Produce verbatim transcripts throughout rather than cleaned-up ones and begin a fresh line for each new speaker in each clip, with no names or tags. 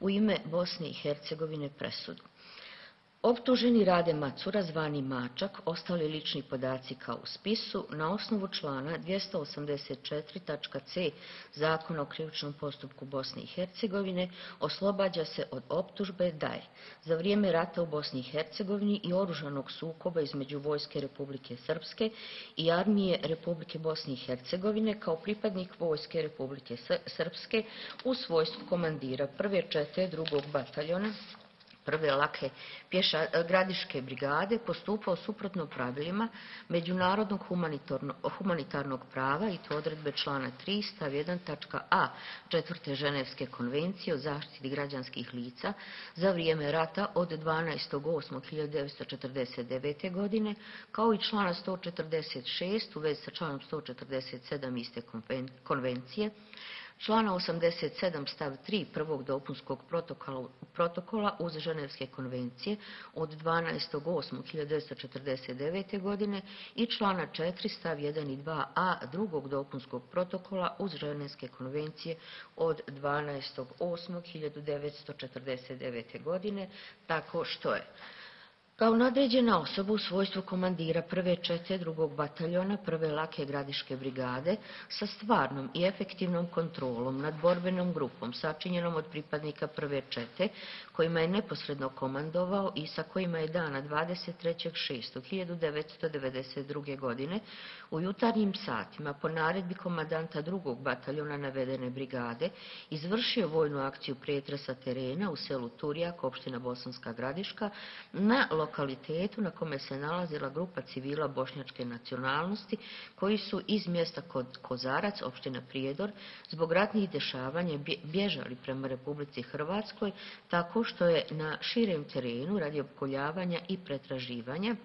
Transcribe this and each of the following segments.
u ime Bosne i Hercegovine presudu. Optuženi Rade Macura, zvani Mačak, ostali lični podaci kao u spisu, na osnovu člana dvjesto osamdeset četiri tačka c Zakona o krivičnom postupku Bosne i Hercegovine oslobađa se od optužbe da je za vrijeme rata u Bosni i Hercegovini i oružanog sukoba između Vojske Republike Srpske i Armije Republike Bosne i Hercegovine kao pripadnik Vojske Republike Srpske u svojstvu komandira prve čete drugog bataljona prve lake gradiške brigade postupao suprotno pravilima međunarodnog humanitarnog prava i to odredbe člana tri stav jedan tačka a četvrte Ženevske konvencije o zaštiti građanskih lica za vrijeme rata od dvanaestog osmog hiljadu devetsto četrdeset devete. godine, kao i člana sto četrdeset šest u vezi sa članom sto četrdeset sedam iste konvencije, člana osamdeset sedam stav tri prvog dopunskog protokola uz Ženevske konvencije od dvanaestog osmog hiljadu devetsto četrdeset devete. godine i člana četiri stav jedan i dva a drugog dopunskog protokola uz Ženevske konvencije od dvanaestog osmog hiljadu devetsto četrdeset devete. godine, tako što je kao nadređena osoba u svojstvu komandira prve čete drugog bataljona prve lake gradiške brigade sa stvarnom i efektivnom kontrolom nad borbenom grupom sačinjenom od pripadnika prve čete kojima je neposredno komandovao i sa kojima je dana dvadeset trećeg šestog hiljadu devetsto devedeset druge. godine u jutarnjim satima po naredbi komandanta drugog bataljona navedene brigade izvršio vojnu akciju pretresa terena u selu Turjak, opština Bosanska Gradiška, na lokalitetu na kome se nalazila grupa civila bošnjačke nacionalnosti koji su iz mjesta Kozarac, opština Prijedor, zbog ratnih dešavanja bježali prema Republici Hrvatskoj tako što je na širem terenu radi opkoljavanja i pretraživanja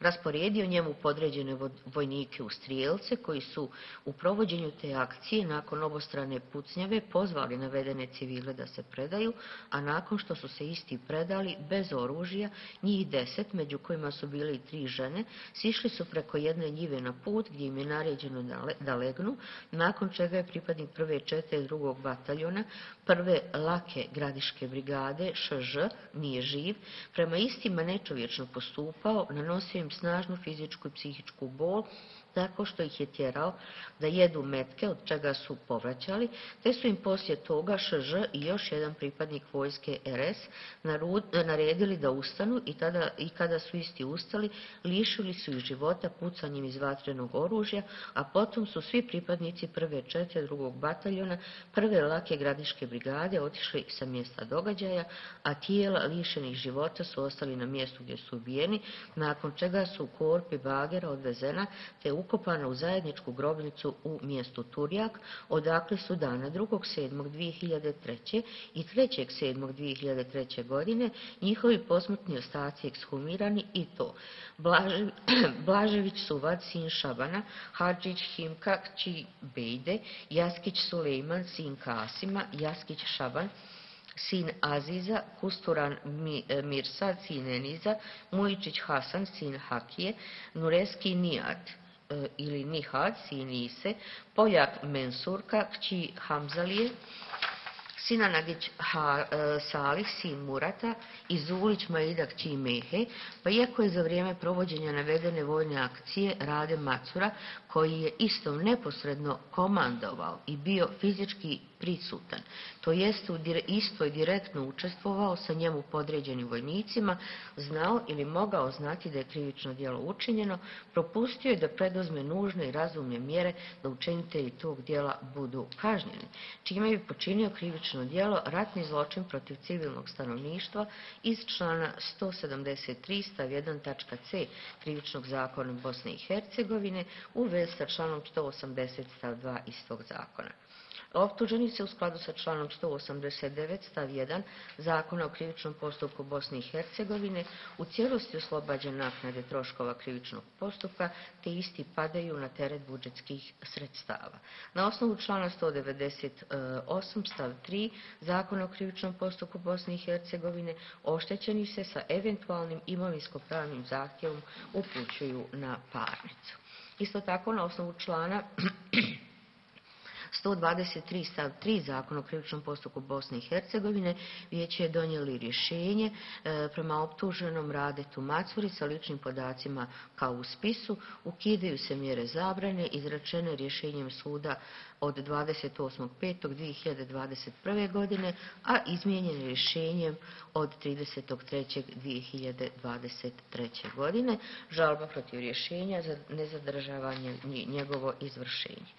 rasporedio njemu podređene vojnike u strijelce koji su u provođenju te akcije nakon obostrane pucnjave pozvali navedene civile da se predaju, a nakon što su se isti predali bez oružja, njih deset, među kojima su bile i tri žene, sišli su preko jedne njive na put gdje im je naređeno da legnu, nakon čega je pripadnik prve čete drugog bataljona prve lake gradiške brigade Š Ž, nije živ, prema istima nečovječno postupao, nanosio im snažnu fizičku i psihičku bol tako što ih je tjerao da jedu metke od čega su povraćali, te su im poslije toga Š Ž i još jedan pripadnik vojske R S naredili da ustanu i, tada, i kada su isti ustali lišili su ih života pucanjem iz vatrenog oružja, a potom su svi pripadnici prve čete drugog bataljona prve lake gradiške brigade otišli sa mjesta događaja, a tijela lišenih života su ostali na mjestu gdje su ubijeni, nakon čega su u korpi bagera odvezena te ukopana u zajedničku grobnicu u mjestu Turjak, odakle su dana drugog sedmog dvije hiljade treće. i trećeg sedmog dvije hiljade treće. godine njihovi posmrtni ostaci ekshumirani i to Blaže, Blažević Suvad, sin Šabana, Hadžić Himka, kći Bejde, Jaskić Sulejman, sin Kasima, Jaskić Šaban, sin Aziza, Kusturan Mirsad, sin Eniza, Mujičić Hasan, sin Hakije, Nureski Nijad ili Nihad, sin Ise, Poljak Mensurka, kći Hamzalije, Sinanagić Salih, sin Murata i Zulić Maida, kći Mehe, pa iako je za vrijeme provođenja navedene vojne akcije Rade Macura, koji je istom neposredno komandovao i bio fizički prisutan, to jest isto je direktno učestvovao sa njemu podređenim vojnicima, znao ili mogao znati da je krivično djelo učinjeno, propustio je da preduzme nužne i razumne mjere da učinitelji tog djela budu kažnjeni, čime bi počinio krivično djelo ratni zločin protiv civilnog stanovništva iz člana sto sedamdeset tri stav jedan tačka c Krivičnog zakona Bosne i Hercegovine u vezi sa članom sto osamdeset stav dva istog zakona. Optuženi se u skladu sa članom sto osamdeset devet stav jedan Zakona o krivičnom postupku Bosne i Hercegovine u cijelosti oslobađa naknade troškova krivičnog postupka, te isti padaju na teret budžetskih sredstava. Na osnovu člana sto devedeset osam stav tri Zakona o krivičnom postupku Bosne i Hercegovine oštećeni se sa eventualnim imovinsko-pravnim zahtjevom upućuju na parnicu. Isto tako, na osnovu člana sto dvadeset tri stav tri Zakona o krivičnom postupku Bosne i Hercegovine vijeće je donijeli rješenje e, prema optuženom Radetu Macuri sa ličnim podacima kao u spisu. Ukidaju se mjere zabrane izrečene rješenjem suda od dvadeset osmog petog dvije hiljade dvadeset prve. godine, a izmijenjen rješenjem od tridesetog trećeg dvije hiljade dvadeset treće. godine. Žalba protiv rješenja za nezadržavanje njegovo izvršenje.